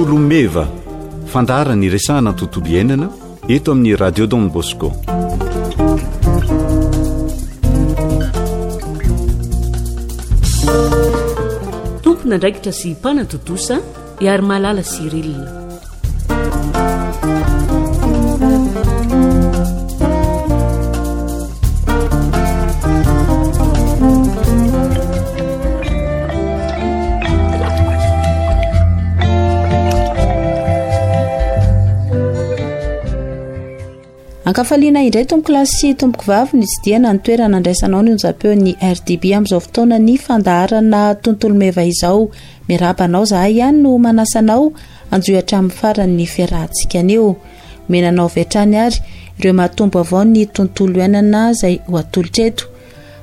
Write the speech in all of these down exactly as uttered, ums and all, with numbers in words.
Tontolo meva, fandaharana iresahana tontolo iainana eto amin'ny Radio Don Bosco. Tompon'andraikitra sy mpanatontosa Iarimalala Cyril. Ankafaliana indray tompoko lahy sy tompoko vavy ny tsidihana ny toerana andraisanao ny onjam-peon'ny R D B amin'izao fotoana ny fandaharana Tontolo Meva izao. Miarahaba anao zahay ihany no manasa anao anjohy hatramin'ny faran'ny fiarahantsika anio. Omenanao avy hatrany ary ireo mahatombo avao ny tontolo iainana izay ho atolotra eto.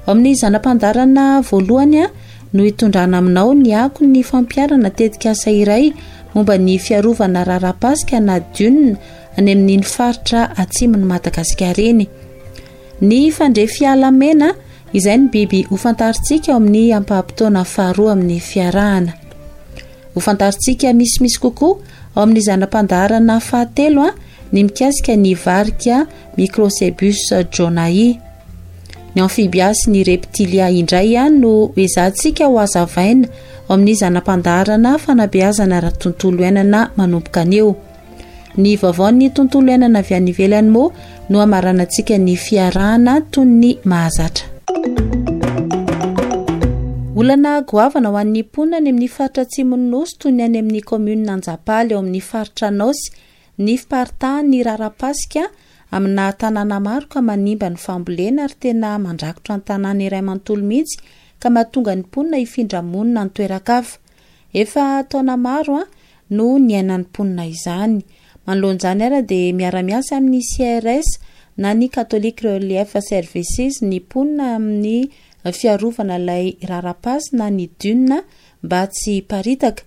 Ao amin'ny zana-pandaharana voalohany a no hitondrana aminao ny ako ny fampiharana tetikasa iray momba ny fiarovana rara-pasika na dune any amin'iny faritra atsimon'i Madagasikara iny. Ny fandrefiala mena izay ny biby ho fantarintsika ao amin'ny ampaham-potoana faharoa amin'ny fiarahana. Ho fantarintsika misimisy kokoa ao amin'ny zana-pandaharana fahatelo a ny mikasika ny varika Microcebus jonahi. Ny amphibia sy ny reptilia indray a no ezahantsika ho hazavaina ao amin'ny zana-pandaharana fanabeazana ara-tontolo iainana manomboka anio. Ny vaovaon'ny tontolo iainana avy any ivelany moa no hamaranantsika ny fiarahana toy ny mahazatra. Olana goavana ho an'ny mponina any amin'ny faritra atsimon'ny Nosy, toy ny any amin'ny commune Anjapaly ao amin'ny faritra Anôsy, ny fiparitahan'ny rara-pasika amina tanàna maro ka manimba ny fambolena ary tena mandrakotra ny tanàna iray manontolo mihitsy, ka mahatonga ny mponina hifindra monina ny toeran-kafa. Efa taona maro a no niainan'ny mponina izany. Manoloan'izany ara dia miara-miasa amin'ny C R S na ny Catholic Relief Services ny mponina amin'ny fiarovana ilay rara-pasika na ny dune mba tsy hiparitaka.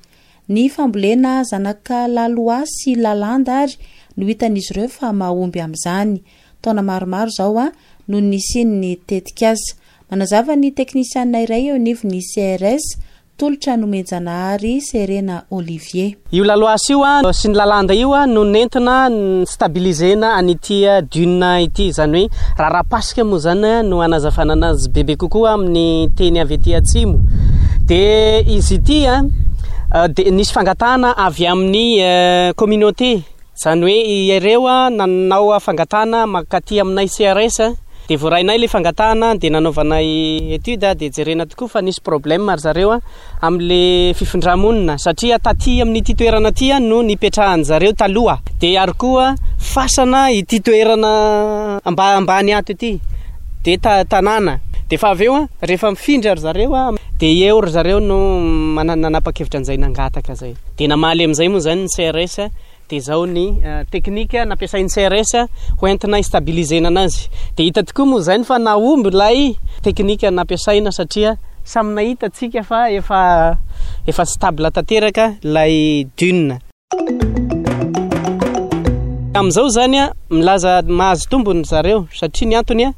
Ny fambolena zanaka laloa sy lalanda ary no hitan'izy ireo fa mahomby amin'izany. Taona maromaro izao a no nisian'ny tetikasa. Manazava ny teknisiana iray eo anivon'ny C R S, Tolotra Nomenjanahary Serena Olivier. Io laloasy io a sy ny lalanda io a no nentina stabilisena an'ity dune ity, zany hoe rara-pasika moa zany no anazavana anazy bebe kokoa amin'ny teny avy aty atsimo. De izy ity a de nisy fangatahana avy amin'ny communauté, zany hoe ireo a nanao fangatahana makaty aminay C R S, de voarainay le fangatahana, de nanaovanay étude, de jerena tokoa fa nisy problème ry zareo a am'le fifindramonina, satria taty amin'ity toerana ty a no nipetrahan zareo taloha, de ary koa fasana ity toerana amba ambany ato ity, de ta tanàna de fa avy eo a rehefa mifindra ry zareo a de eo ry zareo no mana- nanapa-kevitra an'izay, nangataka zay, de namaly am'izay moa zany ny C R S. De zao ny teknika nampiasain'ny C R S ho entina stabilisena anazy, de hita tokoa moa zany fa nahomby lay teknika nampiasaina, satria samy nahita atsika fa efa efa stable tanteraka lay dune am'izao. Zany a milaza mahazo tombony zareo, satria ny antony a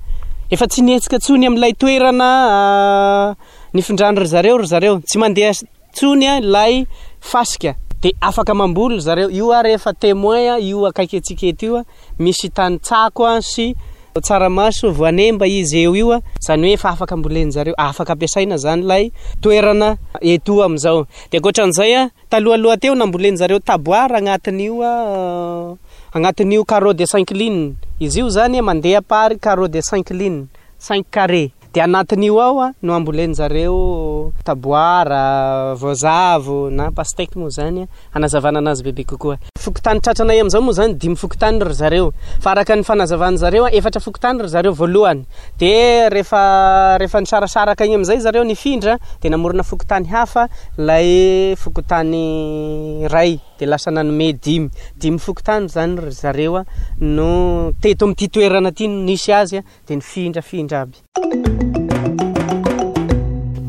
efa tsy nihetsika tsony amin'ilay toerana nifindrany ry zareo ry zareo tsy mandeha tsony a lay fasika, de afaka mamboly zareo io. A rehefa témoin a io akaiky atsika eto io a misy tany tsako a sy tsaramaso, voanemba izy eo io a, zany hoe efa afaka ambolen zareo, afaka ampiasaina zany lay toerana eto am'izao. De ankoatran'izay a talohaloha teo nambolen zareo taboara agnatin'io a agnatin'io carreau de cinq lignes izy io zany a mandeha par carreau de cinq lignes, cinq carré, de anatin'io ao a no ambolen zareo taboara, voazavo na pastèque moa zany anazavana anazy bebe kokoa. Fokotany tratranay am'izao moa zany dimy fokotany ry zareo, fa araka ny fanazavan'ny zareo a efatra fokotany ry zareo voalohany, de rehefa rehefa nisarasaraka igny am'izay zareo nifindra, de namorona fokotany hafa lay fokotany ray, de lasa nanome dimy dimy fokotany zany ry zareo a no teto amin'ity toerana ty no nisy azy a de nifindrafindra aby.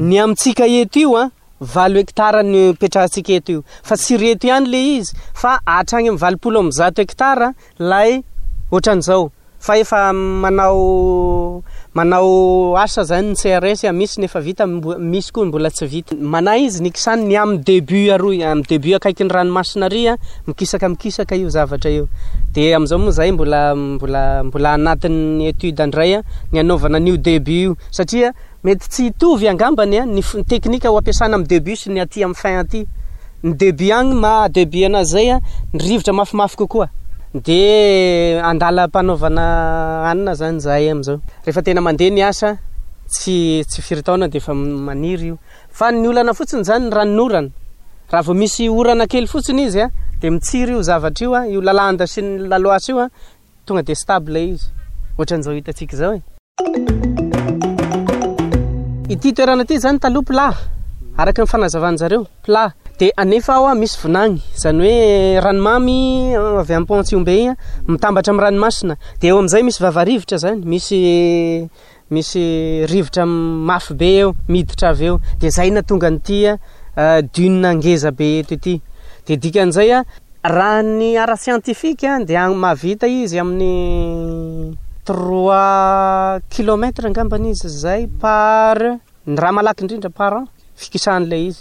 Ny amintsika eto io a valo hektara ny petrahantsika eto io, fa tsy reto ihany le izy fa hatrany amin'ny valopolo amby zato hektara lay ohatran'izao, fa efa manao Manao asa zany ny C R S, misy nefa vita, misy koa mbola tsy vita. Manahy izy nikisany ny amin'ny début aroy, amin'ny début akaiky ny ranomasina ary a, mikisaka mikisaka io zavatra io. De am'izao moa zay mbola mbola mbola anatin'ny étude andray a, ny anaovana an'io début io, satria mety tsy hitovy angambany a ny teknika ho ampiasana amin'ny début sy ny aty amin'ny fin aty. Ny début agny ma début anazy zay a, ny rivotra mafimafy kokoa. De andala-panaovana anina zany zahay am'izao. Rehefa tena mandeha ny asa, tsy tsy firy taona de efa maniry io. Fa ny olana fotsiny zany ny ranonorana. Raha vao misy orana kely fotsiny izy a, de mitsiry io zavatra io a, io lalanda sy ny laloasy io a, tonga de stable izy. Ohatran'izao hitantsika zao e. Ity toerana ity zany taloha plat, araka ny fanazavan'zareo, plat. De anefa ao a misy vinagny, zany hoe ranomamy avy amin'ny pont Tsihombe igny mitambatra amin'ny ranomasina. De eo am'izay misy vavarivotra zany, misy misy rivotra mafy be eo, miditra avy eo. De zay nahatonga an'ity a dune ngeza be eto ity. De dikan'izay a, raha ny ara-scientifique de mahavita izy amin'ny trois kilomètres angambany izy zay par ny raha malaky indrindra par an fikisahan'ilay izy.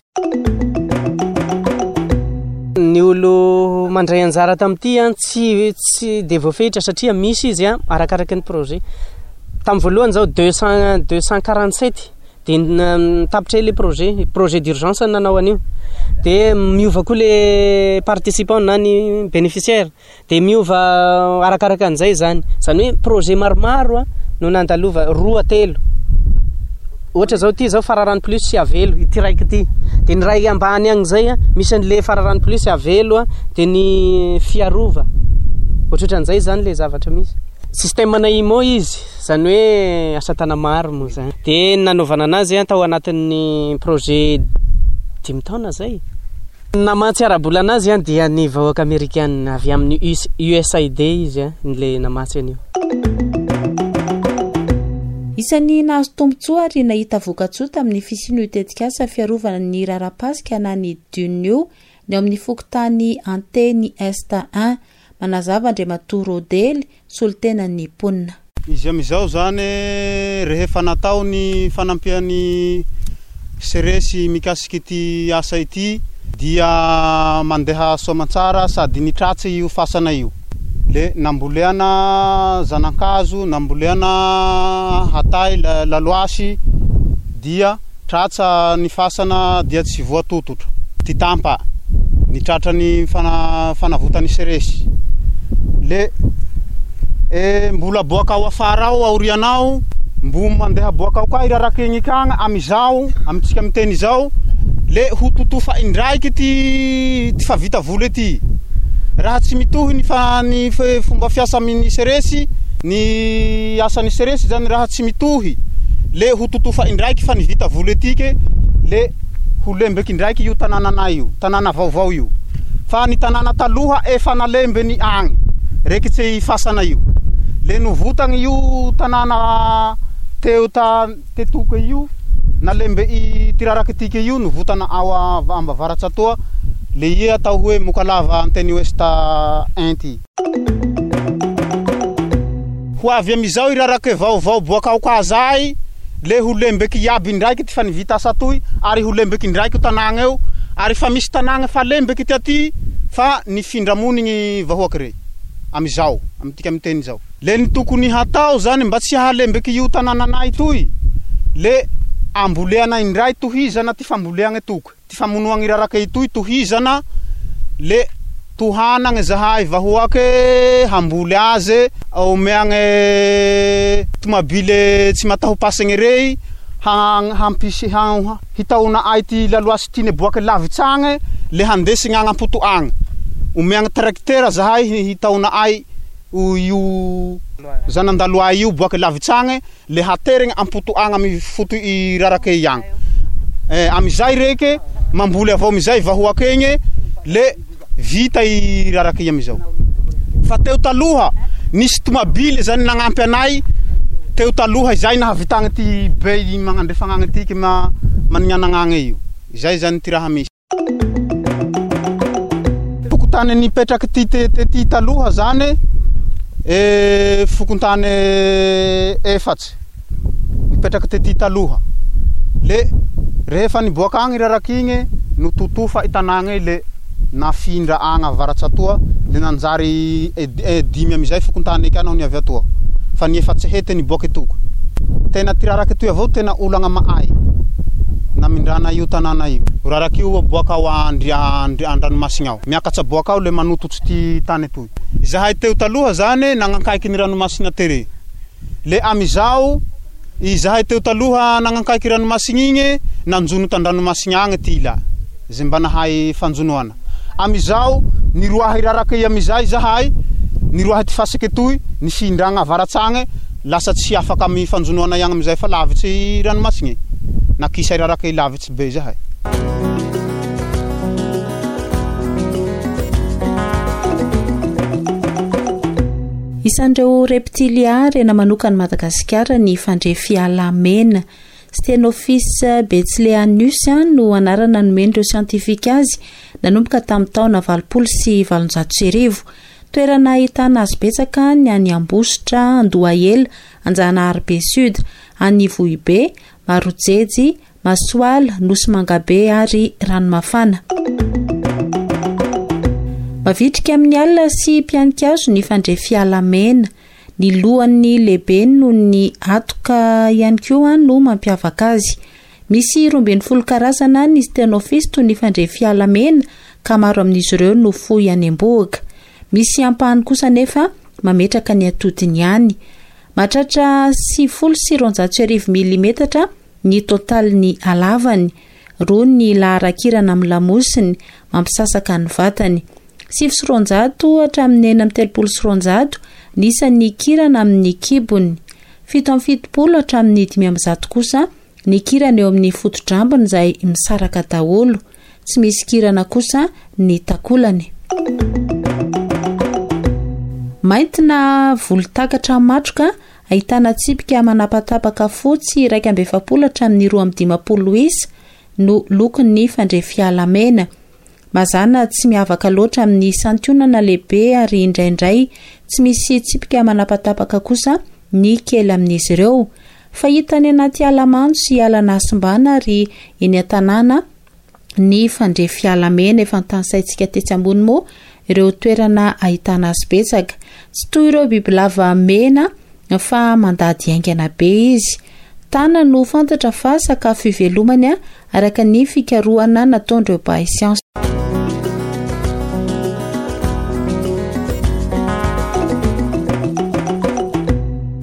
Ny olo mandray anjara tamin'ity a, tsy tsy de voafehitra satria misy izy a arakaraky ny projet. Tamin'ny voalohany zao deux cent deux cent quarante sept, de tapitra le projet, projet d'urgence nanao an'io. De miova koa le participant na ny bénéficiaire, de miova arakaraka an'izay zany. Zany hoe projet maromaro a no nandalova, roa, telo. Ohatra zao ty zao Fararano plus sy Avelo ity raiky ity. De ny ray ambany agny zay a misy an'le Fararano plus, Avelo a, de ny Fiarova. Ohatrohatran'izay zany le zavatra misy. Système na I M O izy, zany hoe asa tana maro moa zany. De nanaovana anazy a tao anatin'ny projet dimy taona zay. Namatsy ara-bola anazy a dia ny vahoaka amerikana avy amin'ny U S A I D izy a le namatsy an'io. Isan'ny nahazo tombontsoa ary nahita vokatsoa tamin'ny fisian'io tetikasa fiarovana ny rarapasika na ny dune io ny ao amin'ny fokontany Anteny Est un. Manazava Andriamatoa Rodely, solontenan'ny mponina. Izy am'izao zany, rehefa natao ny fanampiany C R S mikasiky ity asa ity, dia mandeha soamantsara sady nitratsy io fasana io, le namboleana zanakazo, namboleana hatay, laloasy, dia tratsa ny fasana, dia tsy voatototra ty tampa ny tratra ny fana fanavotany C R S. Le e mbola boaka ao afara ao aorianao, mbo mandeha boaka ao koa iraraky igny kagny amizao amitsika miteny izao, le ho totofa indraiky ty ty fa vita voly ty raha tsy mitohy ny fa ny fomba fiasa amin'ny C R S, ny asan'ny C R S zany. Raha tsy mitohy, le ho totofa indraiky fa ny vita voly atike, le ho lembeky indraiky io tanànanay io, tanàna vaovao io. Fa ny tanàna taloha efa nalembeny agny rekitsy fasana io, le novotagny io tanàna teo ta tetoka io, nalembe i ty raraky tike io, novotana ao ambavaratsy atoa, le ie atao hoe Mokalava Anteny Ouest un ty. Ho avy amizao irarake vaovao boaka ao ka zay, le ho lembeky iaby indraiky ty fa nivita asa toy, ary ho lembeky indraiky io tanàgna eo. Ary fa misy tanàgna fa lembeky ty aty, fa nifindra-monigny vahoaky rey amizao amitika miteny zao. Le ny tokony hatao zany mba tsy hahalembeky io tanànanay toy, le amboleana indray, tohizana ty famboleagna toky, ty famonoagny raraka itoy tohizana, le tohanagny zahay vahoake hamboly azy, omeagny tomabile tsy mataho pasagny rey hampisy hitaona ay ty laloasy tiany boaky lavitsy agny, le handesigny agny ampoto agny. Omeagny tracteur zahay hitaona ay io zanandaloay io boaky lavitsy agny, le haterigny ampoto agny amy foto i rarake i agny. eh, amizay reke mamboly avao amizay vahoaky egny, le vita i raraky i amizao. Fa teo taloha nisy tomabily zany nagnampy anay teo taloha izay nahavitagny ty be magnandrefagna agny tiky ma manignanagna io zay zany ty raha misy. Fokontany nipetraky ty ty taloha zany e, fokontany efatsy. Nipetraky tety taloha. Le rehefa niboaka agny raraky igny nototofa i tanàgna le nafindra agny avaratsy atoa le nanjary dimy amizay fokontany eky naho niavy atoa. Fa ny efatsy hety niboaky toko. Tena ty raraky toy avao tena olagna mahay. Namindrana io tanàna io. Raraky io boaka ao an-dranomasina ao. Miakatsa boaka ao le manototsy ty tany toy. Zahay teo taloha zany nagnankaiky ny ranomasina tere. Le amizao izahay teo taloha nagnankaiky ranomasina igny nanjono tan-dranomasina agny ty ila. Zay mba nahay fanjonoana. Amizao niroahy raraky amizay zahay niroahy ty fasiky toy nifindragna avaratsagny lasa tsy afaka amy fanjonoana ihany amizay fa lavitsy ranomasina. Nakisa raraky lavitsy be zahay. Isan'ireo reptilia rena manokana Madagasikara ny fandrefiala mena. Stenophis betsileanus no anarana nomen'ireo siantifika azy nanomboka tamin'ny taona valopolo sy valonjato sy arivo. Toerana ahitana azy betsaka ny any Ambositra, Andohahela, Anjanaharibe Sud, any Vohibe, Marojejy, Masoala, Nosy Mangabe ary Ranomafana. Mavitrika amin'ny alina sy mpianikazo ny fandrefiala mena. Ny lohan'ny lehibe noho ny atoka ihany koa no mampiavaka azy. Misy roa ambin'ny folo karazana ny Stenophis toy ny fandrefiala mena ka maro amin'izy ireo no fohy any am-bohoka. Misy ampahany kosa nefa mametraka ny atodiny ihany. Mahatratra sivifolo sy roanjato sy arivo milimetatra ny totalin'ny halavany. Roa ny laharan-kirana amin'ny lamosiny mampisasaka ny vatany. Sivy sy roanjato hatramin'ny enina amby telopolo sy roanjato ny isan'ny kirana amin'ny kibony. Fito amby fitopolo hatramin'ny dimy amby zato kosa ny kirana eo amin'ny foto-drambony izay misaraka daholo. Tsy misy kirana kosa ny takolany. Mainty na volontakatra matroka ahitana tsipika manapatapaka fotsy iraika amby efapolo hatramin'ny roa amby dimampolo isa no lokon'ny fandrefiala mena. Mazàna tsy miavaka loatra amin'ny santionana lehibe ary indraindray tsy misy tsipika manapatapaka kosa ny kely amin'izy ireo. Fahita any anaty ala mando sy ala nasimbana ary eny an-tanàna ny fandrefiala mena. Efa notanisaintsika tetsy ambony moa ireo toerana ahitana azy betsaka. Tsy toy ireo bibilava mena fa mandady haingana be izy. Tana no fantatra fa sakafo ivelomany araka ny fikarohana nataon'ireo mpahay siansa.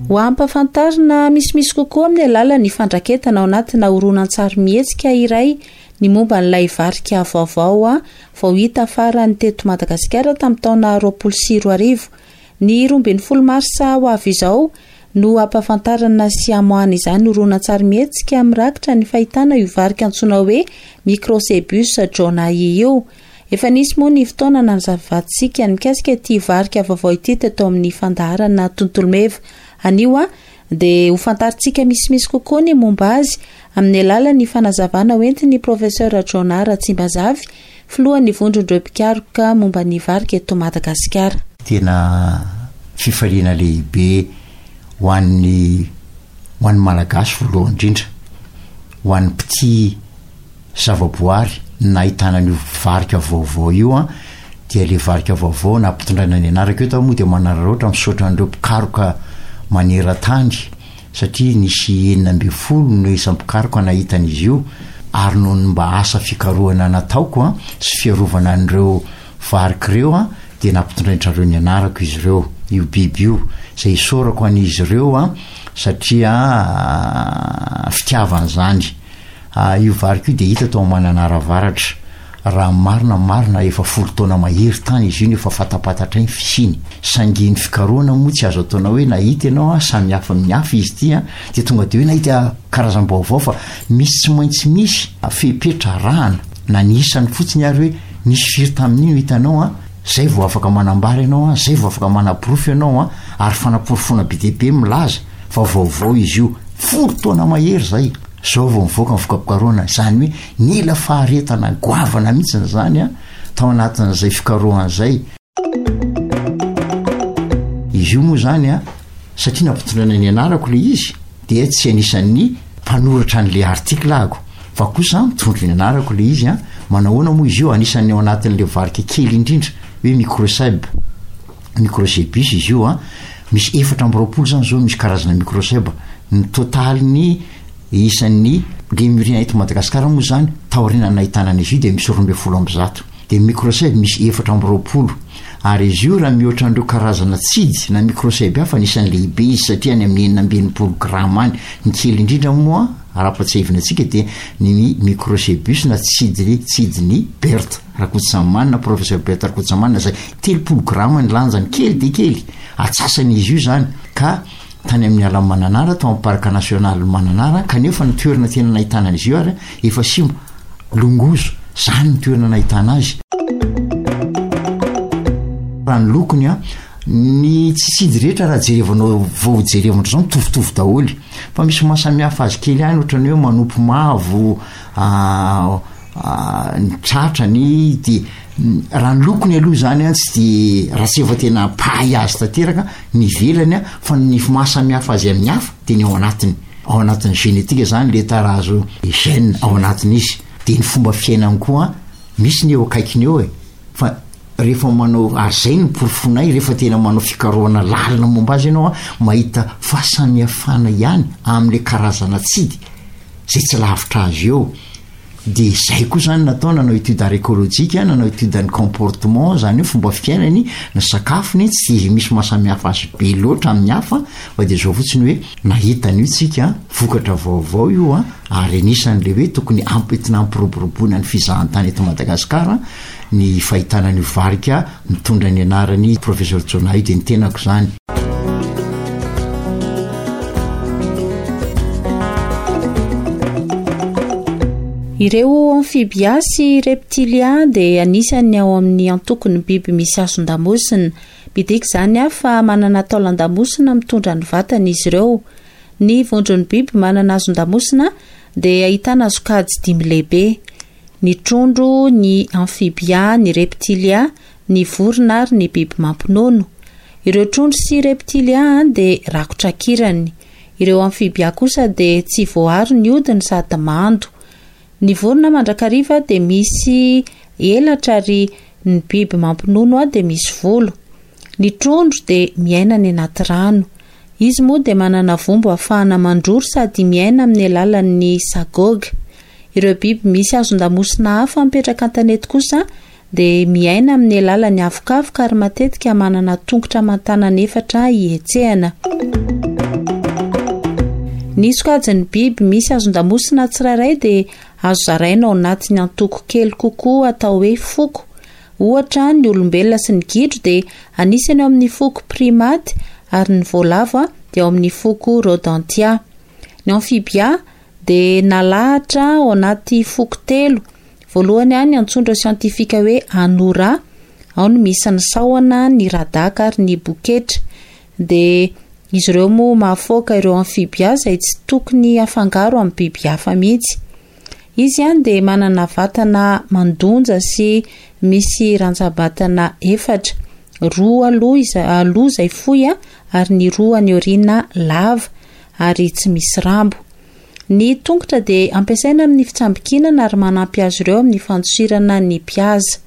Ho ampahafantarina misimisy kokoa amin'ny alalan'ny fandraketana ao anatina horonantsary mihetsika iray ny momba an'ilay varika vaovao vao hita farany teto Madagasikara tamin'ny taona roapolo sy roa arivo. Ny roa ambin'ny folo marsa ho avy izao no ampahafantarana sy amoahana izany horonantsary mihetsika mirakitra ny fahitana io varika antsoina hoe Microcebus jonahi io. Efa nisy moa ny fotoana nanazavantsika mikasika ity varika vaovao ity teto amin'ny fandaharana Tontolo Meva. Anio a dia ho fantarintsika misimisy kokoa ny momba azy amin'ny alalan'ny fanazavana hoentin'ny professeur Jonah Ratsimbazafy, filohan'ny vondron'ireo mpikaroka momba ny varika eto Madagasikara. Tena fifaliana lehibe ho an'ny ho an'ny Malagasy voalohany indrindra, ho an'ny mpitia zavaboary nahitana an'io varika vaovao io a, dia le varika vaovao nampitondraina ny anarako io tao moa dia manararaotra misaotra an'ireo mpikaroka maneran-tany satria nisy enina ambin'ny folo no isan'ny mpikaroka nahita an'izy io, ary noho ny mba asa fikarohana nataoko a sy fiarovana an'ireo varika ireo a dia nampitondrain-drareo ny anarako izy ireo, io biby io, izay isaorako an'izy ireo a satria fitiavana izany. Io varika io dia hita tao Mananara Avaratra. Raha marina marina efa folo taona mahery tany izy io no efa fatapatatra ny fisiany. Saingy ny fikarohana moa tsy azo ataona hoe nahita ianao a, samy hafa amin'ny hafa izy ity a, dia tonga dia hoe nahita karazam-baovao fa misy tsy maintsy misy fepetra arahana na ny isany fotsiny ary hoe nisy firy tamin'iny no hitanao a, zay vao afaka manambara ianao a, zay vao afaka manaporofo ianao a, ary fanaporofoana be dia be milaza fa vaovao izy io. Folo taona mahery zay. Zao vao mivoaka ny voka-pikarohana, izany hoe nila faharetana goavana mihitsy izany a, tao anatin'izay fikarohana izay. Izy io moa izany a, satria nampitondraina ny anarako ilay izy, dia tsy anisan'ny mpanoratra an'le article ahako, fa kosa mitondra ny anarako le izy a. Manahoana moa izy io? Anisan'ny ao anatin'le varika kely indrindra hoe microcèbe, microcebus izy io a. Misy efatra amby roapolo zany zao misy karazana microcèbe. Ny totalin'ny isan'ny lémurien eto Madagasikara moa zany taoriana nahitana an'izy io dia misy roa ambin'ny folo amby zato, de microcèbe misy efatra amby roapolo. Ary izy io raha mihoatra an'ireo karazana tsidy na microcèbe hafa, anisan'ny lehibe izy satria any amin'ny enina amby enimpolo grama any. Ny kely indrindra moa, raha-patsiahivina antsika, dia ny microcebus na tsidy tsidiny Berthe Rakotsamanina, professeur Berthe Rakotsamanina, zay telopolo grama ny lanjany, kely de kely, atsasany izy io zany. Ka tany amin'ny ala Mananara, tao amin'ny parc national Mananara, kanefa ny toerana tena nahitana an'izy io ary efa simba, Longozo zany ny toerana nahitana azy. Raha ny lokony a, ny tsitsidy rehetra raha jerevanao vao jerevana zao mitovitovy daholy, fa misy mahasamihafa azy kely ihany, ohatrany hoe manopy mavo ny tratrany. De raha ny lokony aloha zany a, tsy de raha tsy efa tena mpahay azy tanteraka ny ivelany a, fa ny mahasamihafa azy amin'ny hafa de ny ao anatiny, ao anatin'ny génétique zany, le tarazo gène ao anatiny izy, de ny fomba fiainany koa misy ny eo akaikiny eo e. Fa rehefa manao ary zay ny porofonay, rehefa tena manao fikarohana lalina momba azy ianao a, mahita fahasamihafana ihany am'le karazana tsidy zay tsy lavitra azy eo. De zay koa zany natao, nanao étude arécologique, nanao étude ny comportement zany hoe fomba fiainany, ny sakafony, tsy de misy mahasamihafa azy be loatra amin'ny hafa, fa de zao fotsiny hoe nahitany io tsika, vokatra vaovao io a. Ary anisan'le hoe tokony ampentina ampiroboroboana ny fizahantany eto Madagasikara ny fahitana ny varika mitondra ny anarany professeur Jonah io, de ny tenako zany. Ireo amphibia sy reptilia dia anisan'ny ao amin'ny antokon'ny biby misy hazon-damosina. Midika izany a fa manana taolan-damosina mitondra ny vatana izy ireo. Ny vondron'ny biby manana hazon-damosina dia ahitana sokajy dimy lehibe: ny trondro, ny amphibia, ny reptilia, ny vorona ary ny biby mampinono. Ireo trondro sy reptilia dia rakotra kirany. Ireo amphibia kosa dia tsy voaaro ny hodiny sady mando. Ny vorona mandrakariva dia misy elatra ary ny biby mampinono dia misy volo. Ny trondro dia miaina any anaty rano. Izy moa dia manana vombo ahafahana mandroro sady miaina amin'ny alalan'ny sagoga. Ireo biby misy hazon-damosina hafa mipetraka an-tanety kosa dia miaina amin'ny alalan'ny avokavoka ary matetika manana tongotra aman-tanana efatra hihetsehana. Ny sokajin'ny biby misy hazon-damosina tsirairay dia azo zaraina ao anatin'ny antoko kely kokoa atao hoe foko. Ohatra, ny olombelona sy ny gidro dia anisany ao amin'ny foko primaty ary ny voalavo dia ao amin'ny foko rodentia. Ny amphibia dia nalahatra ao anaty foko telo. Voalohany ny antsondra siantifika hoe anura, ao no misy ny sahona, ny radaka ary ny boketra. Dia izy ireo moa mahafoaka ireo amphibia izay tsy tokony hafangaro amin'ny biby hafa mihitsy. Izy ihany dia manana vatana mandonja sy misy rantsa-batana efatra, roa aloha izay, aloha izay fohy ary ny roa any aoriana lava ary tsy misy rambo. Ny tongotra dia ampiasaina amin'ny fitsambikinana ary manampy azy ireo amin'ny fandosirana ny mpihaza.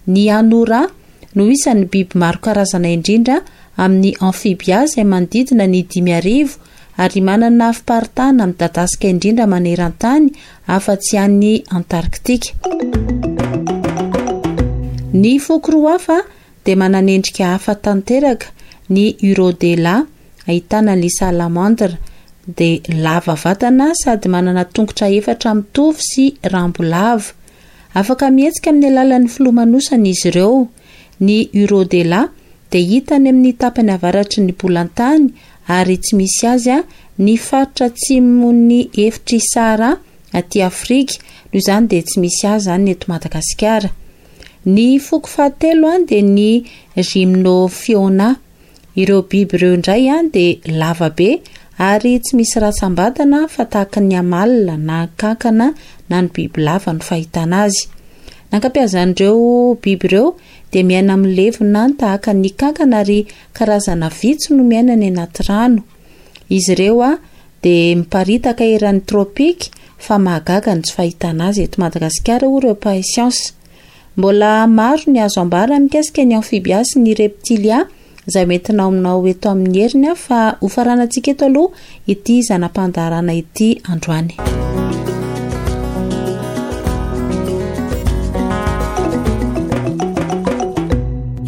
Ny anora no isan'ny biby maro karazana indrindra amin'ny amphibia izay manodidina ny dimy arivo ary manana fiparitahana midadasika indrindra maneran-tany afa-tsy any Antarktika. Ny foko roa hafa dia manana endrika hafa tanteraka, ny Urodela ahitana ny salamandre dia lava vatana sady manana tongotra efatra mitovy sy rambo lava. Afaka mihetsika amin'ny alalan'ny filomanosana izy ireo. Ny Urodela dia hita any amin'ny tapany avaratry ny bolantany ary tsy misy azy ny faritra atsimon'ny efitry Sahara aty Afrika, noho izany dia tsy misy azy izany eto Madagasikara. Ny foko fahatelo dia ny Gymnophiona. Ireo biby ireo indray dia lava be ary tsy misy ratsam-batana fa tahaka ny amalona na kankana na ny biby lava no fahitana azy. Nankampiazan'ireo biby ireo dia miaina amin'ny levona tahaka ny kankana ary karazana vitsy no miaina any anaty rano. Izy ireo a dia miparitaka eran'ny tropika fa mahagaga ny tsy fahitana azy eto Madagasikara hoy ireo mpahay siansa. Mbola maro ny azo ambara mikasika ny amphibia sy ny reptilia izay hoentina aminao eto amin'ny heriny fa hofaranantsika eto aloha ity zana-pandaharana ity androany.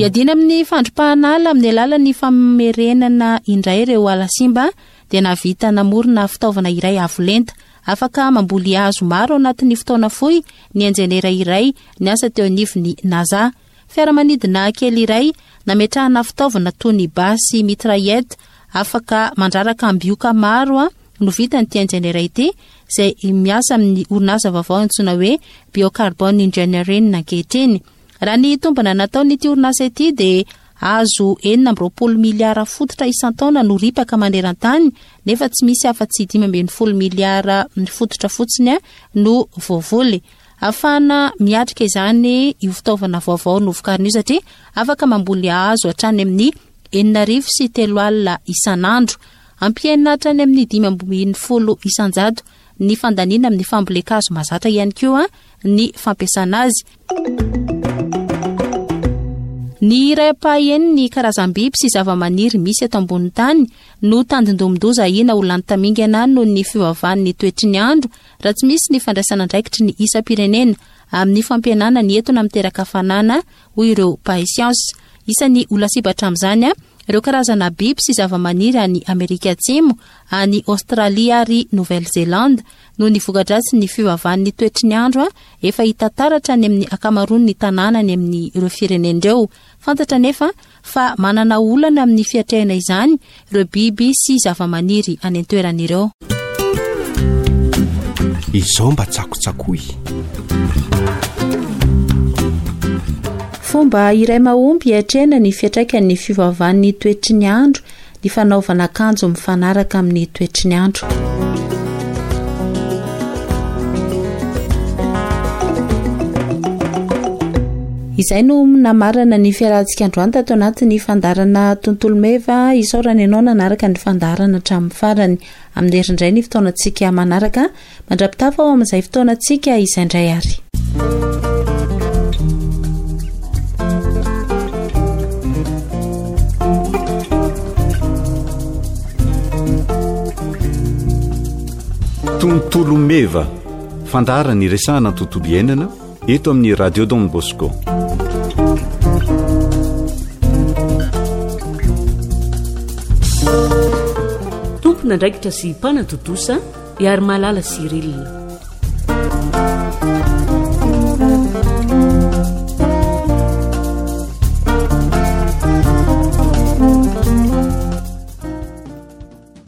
Iadiana amin'ny fandripahana ala amin'ny alalan'ny famerenana indray ireo ala simba dia nahavita namorona fitaovana iray avo lenta afaka mamboly hazo maro anatin'ny fotoana fohy ny injeniera iray niasa teo anivon'ny NASA. Fiaramanidina kely iray nametrahana fitaovana toy ny basy mitraillette afaka mandraraka ambioka maro no vitan'ity injeniera ity izay miasa amin'ny orinasa vaovao antsoina hoe Biocarbon Engineering ankehitriny. Raha ny tombana nataon'ity orinasa ity dia hazo enina amby roapolo miliara fototra isan-taona no ripaka maneran-tany nefa tsy misy afa-tsy dimy ambin'ny folo miliara fototra fotsiny no voavoly. Ahafahana miatrika izany io fitaovana vaovao novokarina io satria afaka mamboly hazo hatrany amin'ny enina arivo sy telo alina isan'andro. Ampihena hatrany amin'ny dimy ambin'ny folo isan-jato ny fandaniana amin'ny fambolen-kazo mahazatra ihany koa ny fampiasana azy. Ny iray ampahaenin'ny karazam-biby sy zava-maniry misy eto ambonin'ny tany no tandindomin-doza ahiana ho lany tamingana noho ny fiovaovan'ny toetry ny andro raha tsy misy ny fandraisana andraikitry ny isam-pirenena amin'ny fampihenana ny etona miteraka hafanana, hoy ireo mpahay siansa. Isan'ny ho lasibatra amin'izany ireo karazana biby sy zava-maniry any Amerika Atsimo, any Aostralia ary Nouvelle-Zélande noho ny voka-dratsin'ny fiovaovan'ny toetry ny andro efa hita taratra any amin'ny ankamaroan'ny tanàna any amin'ireo firenena ireo. Fantatra anefa fa manana olana amin'ny fiatrehana izany ireo biby sy zava-maniry any an-toerana ireo. Izao mba tsakotsakoy. Fomba iray mahomby hiatrehana ny fiantraikan'ny fiovaovan'ny toetry ny andro ny fanaovana akanjo mifanaraka amin'ny toetry ny andro. Izay no namarana ny fiarahantsika androany tato anatin'ny fandaharana Tontolo Meva. Isaorana ianao nanaraka ny fandaharana hatramin'ny farany. Amin'ny herindray ny fotoanantsika manaraka. Mandra-pitafa ao amin'izay fotoanantsika izay indray ary. Tontolo Meva, fandaharana iresahana tontolo iainana eto amin'ny Radio Don Bosco. Tompon'andraikitra sy mpanatontosa Iarimalala Cyril.